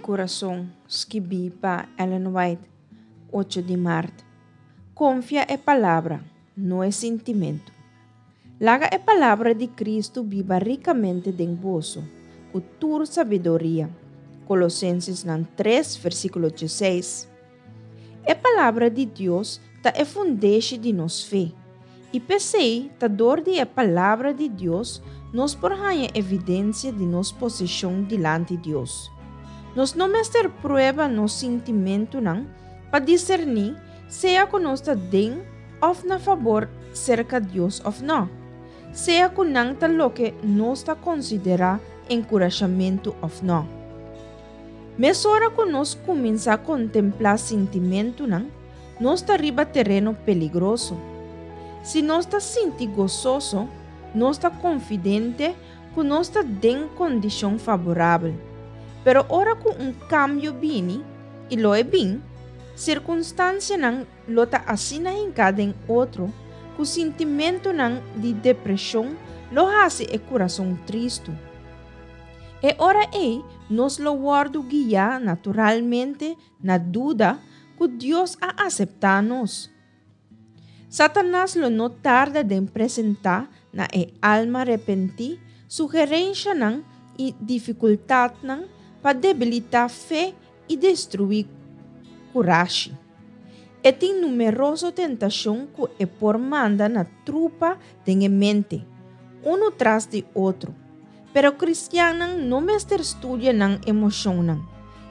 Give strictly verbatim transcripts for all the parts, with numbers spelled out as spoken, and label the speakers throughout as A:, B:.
A: Kurason, skibí pa Ellen White, ocho di mart. Konfia e Palabra, no e sintimentu. Laga e palabra di Kristu biba rikamente den boso, ku tur sabiduria. Kolosensesnan tres, versíkulo diesseis. E palabra di Dios ta e fundeshi di nos fe. I p'esei ta dor di e palabra di Dios nos por haña evidensia di nos posishon dilanti Dios. Nos no mester prueba nos sintimentunan pa diserní sea ku nos ta den òf na fabor serka Dios òf nò, sea ku nan ta loke nos ta konsiderá enkurashamentu òf nò. Mesora ku nos kuminsá kontemplá sintimentunan, nos ta riba tereno peligroso. Si nos ta sinti gososo, nos ta konfidente ku nos ta den kondishon faborabel. Pero ora ku un kambio bini, i lo e bin, sirkunstansianan lo ta asina hinká den otro ku sintimentunan di depreshon lo hasi e kurason tristu. E ora ei nos lo wòrdu guiá naturalmente na duda ku Dios a aseptá nos. Satanas lo no tarda den presentá na e alma repentí sugerenshanan i difikultatnan pa debilitá fe i destruí kurashi. E tin numeroso tentashon ku e por manda na trupa den e mente, unu tras di otro. Pero kristiannan no mester studia nan emoshonnan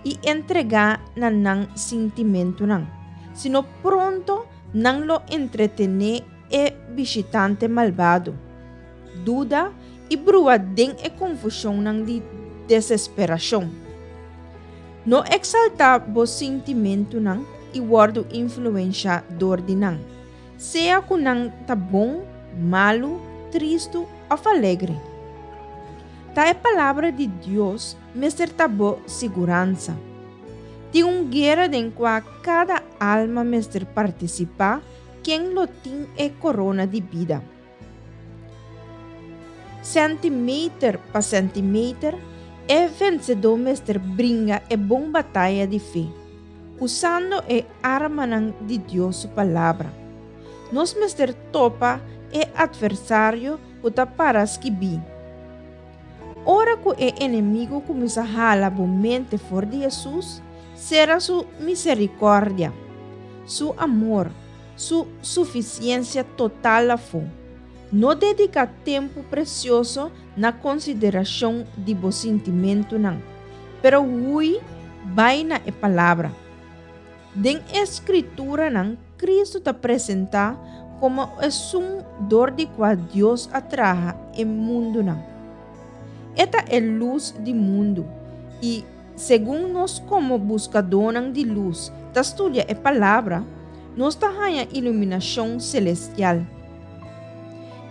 A: i entregá na nan sintimentunan, sino pronto nan lo entretené e bishitante malbado, duda i brua den e konfushonnan di desesperashon. No eksaltá bo sintimentunan i wòrdu influenshá dor di nan, sea ku nan ta bon, malu, tristu òf alegre. Ta e Palabra di Dios mester ta bo siguransa. Tin un guera den kua kada alma mester partisipá ken lo tin e korona di bida. Sèntimeter pa sèntimeter e vensedó mester bringa e bon bataya di fe, usando e armanan di Dios su Palabra. Nos mester topa e atversario ku ta para skibí. Ora ku e enemigu kuminsá hala bo mente for di Hesus, sera su miserikòrdia, su amor, su sufisiensia total afó. No dediká tempu presioso na konsiderashon di bo sintimentunan, pero hui bai na e Palabra. Den e Skrituranan Kristu ta presentá komo esun dor di kua Dios a traha e mundunan. E ta e lus di mundu i segun nos komo buskadónan di lus ta studia e Palabra, nos ta haña iluminashon selestial.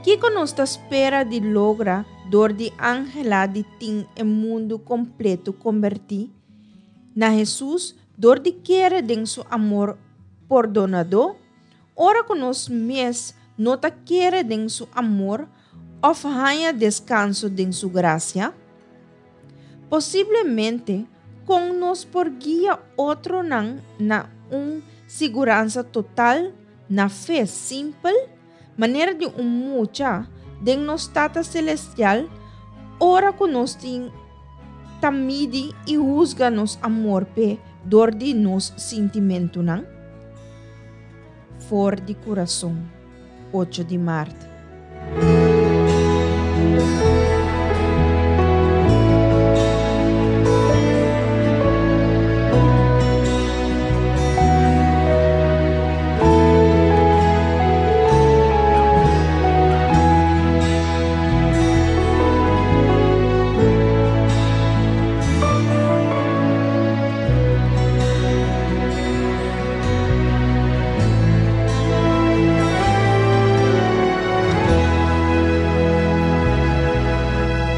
A: Kiko nos ta spera di logra dor di anhelá di tin e mundu kompleto kombertí na Hesus dor di kere den su amor pordonadó, ora ku nos mes no ta kere den su amor òf haña deskanso den su grasia? Posiblemente, kon nos por guia otronan na un siguransa total, na fe simpel, manera di un mucha, den nos Tata Selestial, ora ku nos tin ta midi i husga nos amor p'e dor di nos sintimentunan? For di Kurason, ocho di mart.